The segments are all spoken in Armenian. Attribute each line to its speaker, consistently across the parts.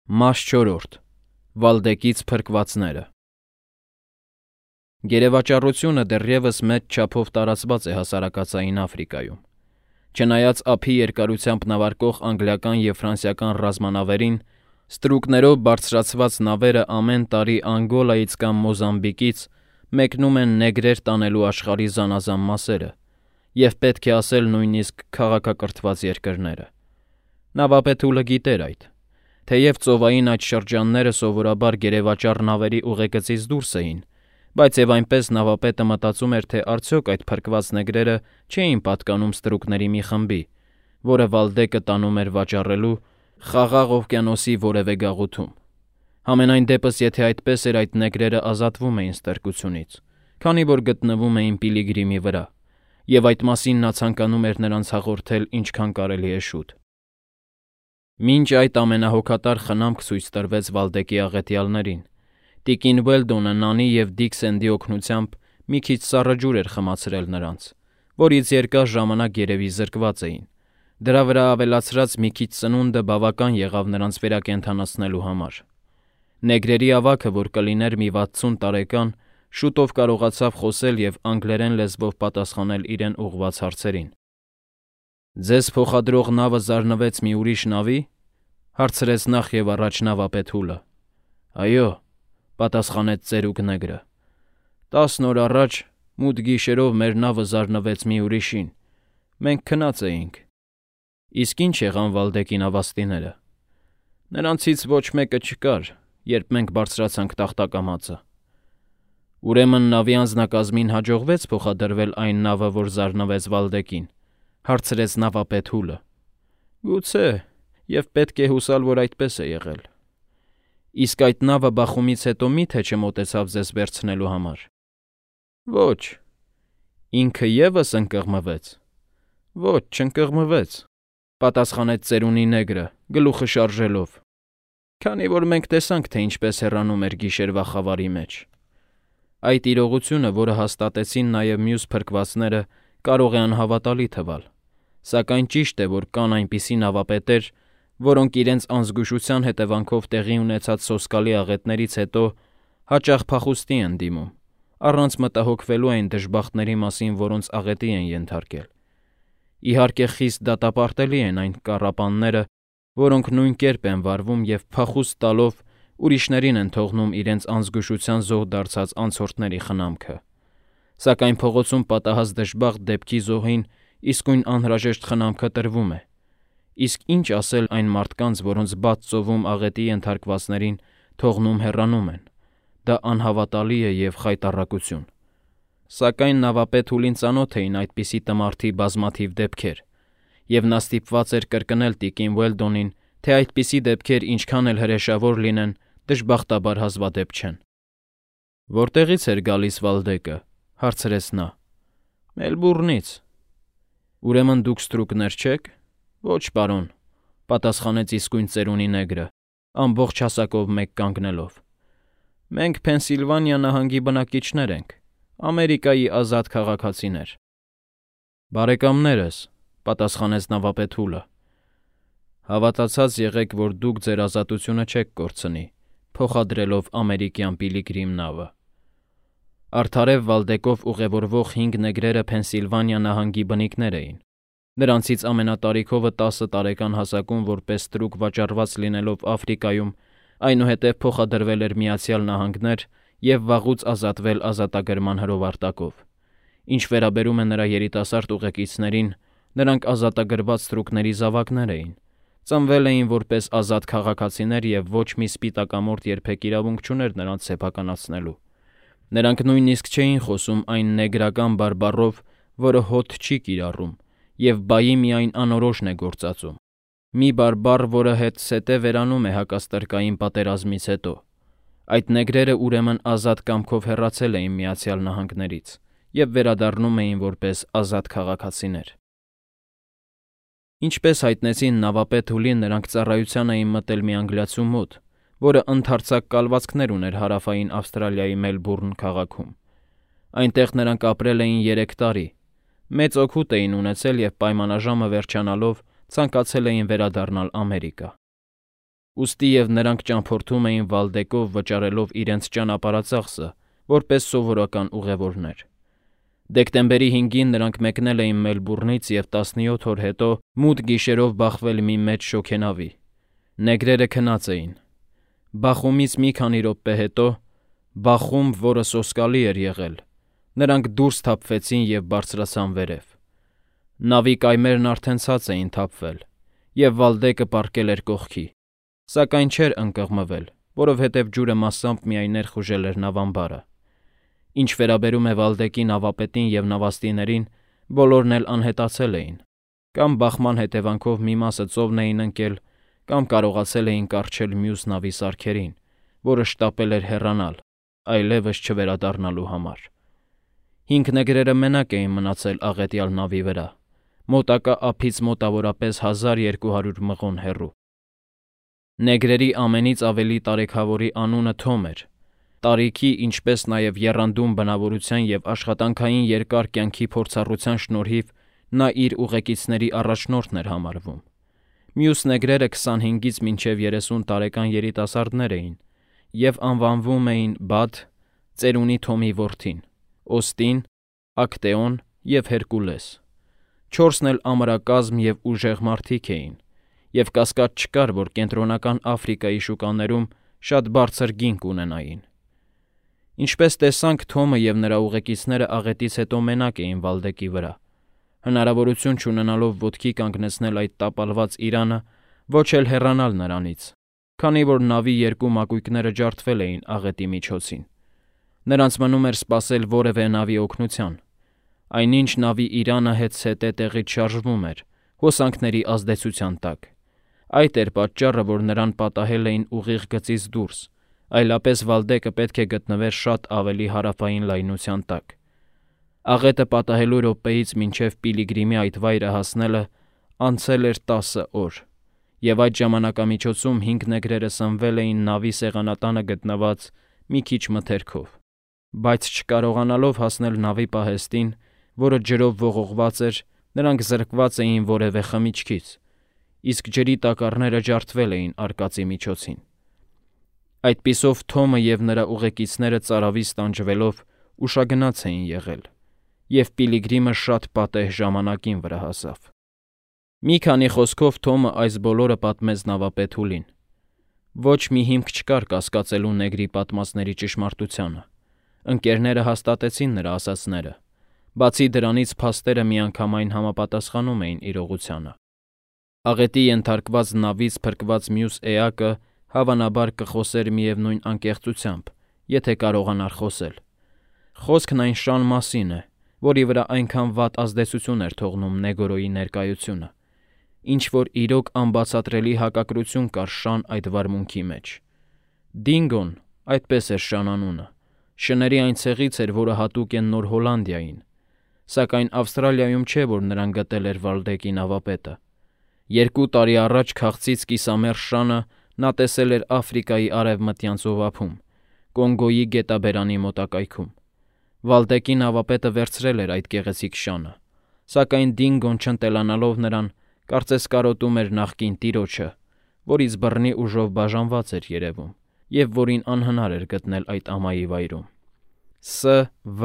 Speaker 1: Մաս 4. Վալդեկից փրկվածները։ Գերեվաճառությունը դեռևս մեծ չափով տարածված է հասարակածային Աֆրիկայում։ Չնայած ափի երկարությամբ նավարկող անգլիական և ֆրանսիական ռազմանավերին, ստրուկներով բարձրացված նավերը ամեն տարի Անգոլայից կամ Մոզամբիկից մեկնում են նեգրեր տանելու աշխարհի զանազան մասերը, և պետք է ասել նույնիսկ քաղաքակրթված երկրները։ Նավապետուլը գիտեր այդ։ Թեև ծովային այդ շրջանները սովորաբար գերեվաճառ նավերի ուղեգծից դուրս էին, բայց և այնպես նավապետը մտածում էր, թե արդյոք այդ փրկված նեգրերը չէին պատկանում ստրուկների մի խմբի, որը Վալդեկը տանում էր վաճառելու Խաղաղ օվկիանոսի որևէ գաղութում։ Համենայն դեպս, եթե այդպես էր, այդ նեգրերը ազատվում էին ստրկությունից, քանի որ գտնվում էին Պիլիգրիմի վրա, և այդ մասին նա ցանկանում էր նրանց հաղորդել ինչքան կարելի է շուտ։ Մինչ այդ ամենահոգատար խնամք ցույց տրվեց Վալդեկի աղետյալներին, տիկին Ուելդոնը Նանի և Դիկ Սենդի օգնությամբ մի քիչ սառը ջուր էր խմացրել նրանց, որից երկար ժամանակ երևի զրկված էին։ Դրա վրա ավելացրած մի քիչ սնունդը բավական եղավ նրանց վերակենդանացնելու համար։ Նեգրերի ավագը, որ կլիներ մի 60 տարեկան, շուտով կարողացավ խոսել և անգլերեն լեզվով պատասխանել իրեն ուղղված հարցերին։ «Ձեզ փոխադրող նավը զարնվեց մի ուրիշ նավի»։ Հարցրեց նախ և առաջ նավապետ Հուլը։ «Այո», պատասխանեց ծերուկ նեգրը։ 10 օր առաջ մութ գիշերով մեր նավը զարնվեց մի ուրիշին։ Մենք քնած էինք։ Իսկ ի՞նչ եղան Վալդեկի նավաստիները։ Նրանցից ոչ մեկը չկար, երբ մենք բարձրացանք տախտակամածը։ Ուրեմն նավի անձնակազմին հաջողվեց փոխադրվել այն նավը, որ զարնվեց Վալդեկին, հարցրեց նավապետ Հուլը։ Գուցե, և պետք է հուսալ, որ այդպես է եղել։ Իսկ այդ նավը բախումից հետո մի՞թե չմոտեցավ ձեզ վերցնելու համար։ Ոչ։ Ինքը ևս ընկղմվեց։ Ոչ, չընկղմվեց, պատասխանեց ծերունի նեգրը, գլուխը շարժելով, քանի որ մենք տեսանք, թե ինչպես հեռանում էր գիշերվա խավարի մեջ։ Այդ իրողությունը, որը հաստատեցին նաև մյուս փրկվածները, կարող է անհավատալի թվալ, սակայն ճիշտ է, որ կան այնպիսի նավապետեր, որոնք իրենց անզգուշության հետևանքով տեղի ունեցած սոսկալի աղետներից հետո հաճախ փախուստի են դիմում, առանց մտահոգվելու այն դժբախտների մասին, որոնց աղետի են ենթարկել։ Իհարկե, խիստ դատապարտելի են այն կառապանները, որոնք նույն կերպ են վարվում և փախուստ տալով ուրիշներին են թողնում իրենց անզգուշության զոհ դարձած անցորդների խնամքը։ Սակայն փողոցում պատահած դժբախտ դեպքի զոհին իսկույն անհրաժեշտ խնամքը տրվում է։ Իսկ ինչ ասել այն մարդկանց, որոնց բաց ծովում աղետի ենթարկվածներին թողնում հեռանում են։ Դա անհավատալի է և խայտառակություն։ Սակայն նավապետ Հուլին ծանոթ էին այդպիսի տմարդի բազմաթիվ դեպքեր, և նա ստիպված էր կրկնել տիկին Ուելդոնին, թե այդպիսի դեպքեր ինչքան էլ հրեշավոր լինեն, դժբախտաբար հազվադեպ չեն։ Որտեղից էր գալիս Վալդեկը, հարցրեց նա։ Մելբուրնից։ Ուրեմն դուք ստրուկներ չեք։ Ոչ, պարոն, պատասխանեց իսկույն ծերունի նեգրը, ամբողջ հասակով մեկ կանգնելով։ Մենք Փենսիլվանիա նահանգի բնակիչներ ենք, Ամերիկայի ազատ քաղաքացիներ։ Բարեկամներս, պատասխանեց նավապետ Հուլը։ Հավատացած եղեք, որ դուք ձեր ազատությունը չեք կորցնի, փոխադրելով ամերիկյան Պիլիգրիմ նավը։ Արդարև Վալդեկով ուղևորվող 5 նեգրերը Փենսիլվանիա նահանգի բնիկներ էին։ Նրանցից ամենատարիքովը 10 տարեկան հասակում որպես ստրուկ վաճառված լինելով Աֆրիկայում, այնուհետև փոխադրվել էր Միացյալ Նահանգներ և վաղուց ազատվել ազատագրման հրովարտակով։ Ինչ վերաբերում է նրա երիտասարդ ուղեկիցներին, նրանք ազատագրված ստրուկների զավակներ էին, ծնվել էին որպես ազատ քաղաքացիներ և ոչ մի սպիտակամորթ երբեք իրավունք չուներ նրանց սեփականացնելու։ Նրանք նույնիսկ չէին խոսում այն նեգրական բարբառով, որը հոտ չի կիրառում, և բայի միայն անորոշն է գործածում։ Մի բարբառ, որը հետզհետե վերանում է հակաստրկային պատերազմից հետո։ Այդ նեգրերը ուրեմն ազատ կամքով հեռացել էին Միացյալ Նահանգներից և վերադառնում էին որպես ազատ քաղաքացիներ։ Ինչպես հայտնեցին նավապետ Հուլին, նրանք ծառայության էին մտել մի անգլիացու մոտ, որը ընդարձակ կալվածքներ ուներ հարավային Ավստրալիայի Մելբուրն քաղաքում։ Այնտեղ նրանք ապրել էին 3 տարի, մեծ օգուտ էին ունեցել և պայմանաժամը վերջանալով ցանկացել էին վերադառնալ Ամերիկա։ Ուստի և նրանք ճամփորդում էին Վալդեկով վճարելով իրենց ճանապարհածախսը, որպես սովորական ուղևորներ։ Դեկտեմբերի 5-ին նրանք մեկնել էին Մելբուրնից և 17 օր հետո մութ գիշերով բախվել մի մեծ շոգենավի։ Նեգրերը քնած էին։ Բախումից մի քանի րոպե հետո, բախում, որը սոսկալի էր եղել, նրանք դուրս թափվեցին և բարձրացան վերև։ Նավի կայմերն արդեն ցած էին թափվել, և Վալդեկը պառկել էր կողքի, սակայն չէր ընկղմվել, որովհետև ջուրը մասամբ միայն ներխուժել էր նավամբարը։ Ինչ վերաբերում է Վալդեկի նավապետին և նավաստիներին, բոլորն էլ անհետացել էին, կամ բախման հետևանքով մի մասը ծովն էին ընկել, կամ կարողացել էին կառչել մյուս նավի սարքերին, որը շտապել էր հեռանալ, այլևս չվերադառնալու համար։ 5 նեգրերը մենակ էին մնացել աղետյալ նավի վրա, մոտակա ափից մոտավորապես 1200 մղոն հեռու։ Նեգրերի ամենից ավելի տարեքավորի անունը Թոմ էր։ Տարիքի, ինչպես նաև եռանդուն բնավորության և աշխատանքային երկար կյանքի փորձառության շնորհիվ նա իր ուղեկիցների առաջնորդն էր համարվում։ Մյուս նեգրերը 25-ից մինչև 30 տարեկան երիտասարդներ էին և անվանվում էին Բադ, ծերունի Թոմի որդին, Օստին, Ակտեոն և Հերկուլես։ 4-ն էլ ամրակազմ և ուժեղ մարդիկ էին, և կասկած չկար, որ Կենտրոնական Աֆրիկայի շուկաներում շատ բարձր գին կունենային։ Ինչպես տեսանք, Թոմը և նրա ուղեկիցները աղետից հետո մենակ էին Վալդեկի վրա, հնարավորություն չունենալով ոտքի կանգնեցնել այդ տապալված իրանը, ոչ էլ հեռանալ նրանից, քանի որ նավի 2 մակույկները ջարդվել էին աղետի միջոցին։ Նրանց մնում էր սպասել որևէ նավի օգնության։ Այնինչ նավի իրանը հետզհետե տեղից շարժվում էր, հոսանքների ազդեցության տակ։ Այդ էր պատճառը, որ նրան պատահել էին ուղիղ գծից դուրս, այլապես Վալդեկը պետք է գտնվեր շատ ավելի հարավային լայնության տակ։ Աղետը պատահելու րոպեից մինչև Պիլիգրիմի այդ վայրը հասնելը անցել էր 10 օր, և այդ ժամանակամիջոցում 5 նեգրերը սնվել էին նավի սեղանատանը գտնված մի քիչ մթերքով, բայց չկարողանալով հասնել նավի պահեստին, որը ջրով ողողված էր, նրանք զրկված էին որևէ խմիչքից, իսկ ջրի տակառները ջարդվել էին արկածի միջոցին։ Այդպիսով Թոմը և նրա ուղեկիցները ծարավից տանջվելով ուշագնաց էին եղել, և Պիլիգրիմը շատ պատեհ ժամանակին վրա հասավ։ Մի քանի խոսքով Թոմը այս բոլորը պատմեց նավապետ Հուլին։ Ոչ մի հիմք չկար կասկածելու նեգրի պատմածների ճշմարտությանը։ Ընկերները հաստատեցին նրա ասածները։ Բացի դրանից, փաստերը միանգամայն համապատասխանում էին իրողությանը։ Աղետի ենթարկված նավից փրկված մյուս էակը հավանաբար կխոսեր միևնույն անկեղծությամբ, եթե կարողանար խոսել։ Խոսքն այն շան մասին է, որի վրա այնքան վատ ազդեցություն էր թողնում Նեգորոյի ներկայությունը, ինչ որ իրոք անբացատրելի հակակրություն կար շան այդ վարմունքի մեջ։ Դինգոն, այդպես էր շան անունը, շների այն ցեղից էր, որը հատուկ է Նոր Հոլանդիային, սակայն Ավստրալիայում չէ, որ նրան գտել էր Վալդեկի նավապետը։ 2 տարի առաջ քաղցից կիսամերժ շանը նա տեսել էր Աֆրիկայի արևմտյան ծովափում, Կոնգոյի գետաբերանի մոտակայքում։ Վալդեկի նավապետը վերցրել էր այդ գեղեցիկ շանը, սակայն Դինգոն չընտելանալով նրան, կարծես կարոտում էր նախկին տիրոջը, որից բռնի ուժով բաժանված էր երևում, և որին անհնար էր գտնել այդ ամայի վայրում։ Ս.V.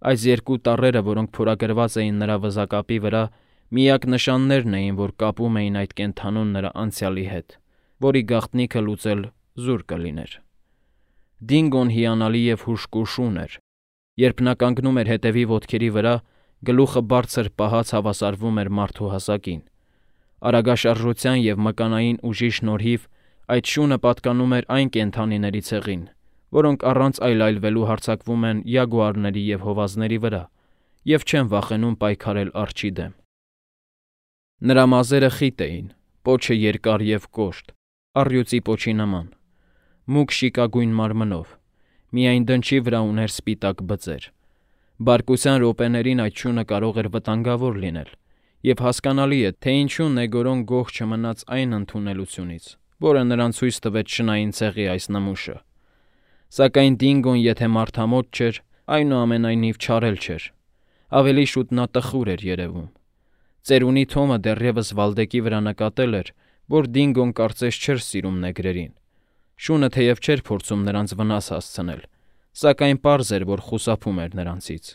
Speaker 1: Այս 2 տառերը, որոնք փորագրված էին նրա վզակապի վրա, միակ նշաններն էին, որ կապում էին այդ կենդանուն նրա անցյալի հետ, որի գաղտնիքը լուծել զուր կլիներ։ Դինգոն հիանալի և հուժկու շուն էր։ Երբ նա կանգնում էր հետևի ոտքերի վրա, գլուխը բարձր պահած հավասարվում էր մարդու հասակին։ Արագաշարժության և մկանային ուժի շնորհիվ այդ շունը պատկանում էր այն կենդանիների ցեղին, որոնք առանց այլայլվելու հարձակվում են յագուարների և հովազների վրա և չեն վախենում պայքարել արջի դեմ։ Նրա մազերը խիտ էին, պոչը երկար և կոշտ, առյուծի պոչի նման, մուգ շիկագույն մարմնով, միայն դնչի վրա ուներ սպիտակ բծեր։ Բարկության րոպեներին այդ շունը կարող էր վտանգավոր լինել, և հասկանալի է, թե ինչու Նեգորոն գոհ չմնաց այն ընդունելությունից, որը նրան ցույց տվեց շնային ցեղի այս նմուշը։ Սակայն Դինգոն եթե մարդամոտ չէր, այնուամենայնիվ չարել չէր։ Ավելի շուտ նա տխուր էր երևում։ Ծերունի Թոմը դեռևս Վալդեկի վրա նկատել էր, որ Դինգոն կարծես չէր սիրում նեգրերին։ Շունը թեև չէր փորձում նրանց վնաս հասցնել, սակայն պարզ էր, որ խուսափում էր նրանցից։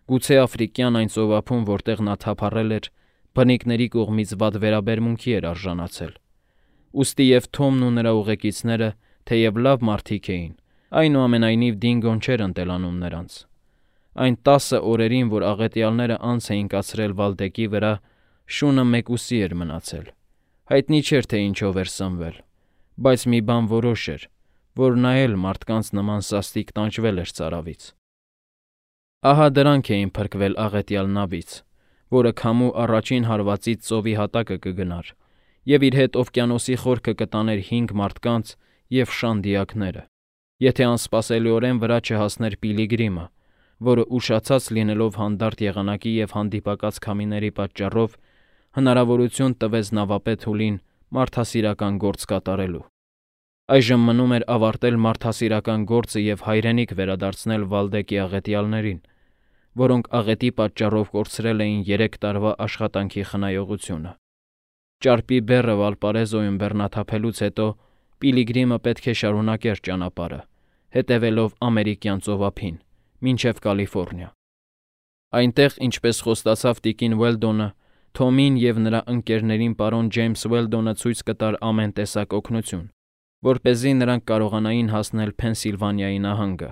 Speaker 1: Գուցե աֆրիկյան այն ծովափում, որտեղ նա թափառել էր, բնիկների կողմից վատ վերաբերմունքի էր արժանացել։ Ուստի և Թոմն ու նրա ուղեկիցները, թեև լավ մարդիկ էին, այնուամենայնիվ Դինգոն չէր ընտելանում նրանց։ Այն 10 օրերին, որ աղետյալները անց էին կացրել Վալդեկի վրա, Շունը մեկուսի էր մնացել։ Հայտնի չէր, թե ինչով էր սնվել, բայց մի բան որոշ էր, որ նա էլ մարդկանց նման սաստիկ տանջվել էր ծարավից։ Ահա դրանք էին փրկվել աղետյալ նավից, որը քամու առաջին հարվածից ծովի հատակը կգնար, և իր հետ օվկիանոսի խորքը կտաներ 5 մարդկանց և շան դիակները, եթե անսպասելիորեն վրա չհասներ Պիլիգրիմը, որը ուշացած լինելով հանդարտ եղանակի և հանդիպակաց քամիների պատճառով հնարավորություն տվեց նավապետ Հուլին մարդասիրական գործ կատարելու։ Այժմ մնում էր ավարտել մարդասիրական գործը և հայրենիք վերադարձնել Վալդեկի աղետյալներին, որոնք աղետի պատճառով կորցրել էին 3 տարվա աշխատանքի խնայողությունը։ Ճարպի բեռը Վալպարեզոյում բեռնաթափելուց հետո Պիլիգրիմը պետք է շարունակեր ճանապարհը, հետևելով ամերիկյան ծովափին, մինչև Կալիֆոռնիա։ Այնտեղ, ինչպես խոստացավ տիկին Ուելդոնը, Թոմին և նրա ընկերներին պարոն Ջեյմս Ուելդոնը ցույց կտար ամեն տեսակ օգնություն, որպեսզի նրանք կարողանային հասնել Փենսիլվանիայի նահանգը։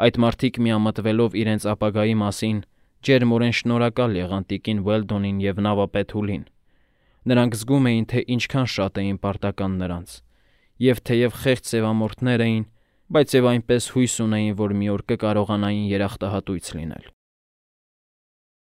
Speaker 1: Այդ մարդիկ միամտվելով իրենց ապագայի մասին, ջերմորեն շնորհակալ եղան տիկին Ուելդոնին և նավապետ Հուլին։ Նրանք զգում էին, թե ինչքան շատ էին պարտական նրանց, և թեև խեղճ սևամորթներ էին, բայց և այնպես հույս ունեին, որ մի օր կկարողանային երախտահատույց լինել։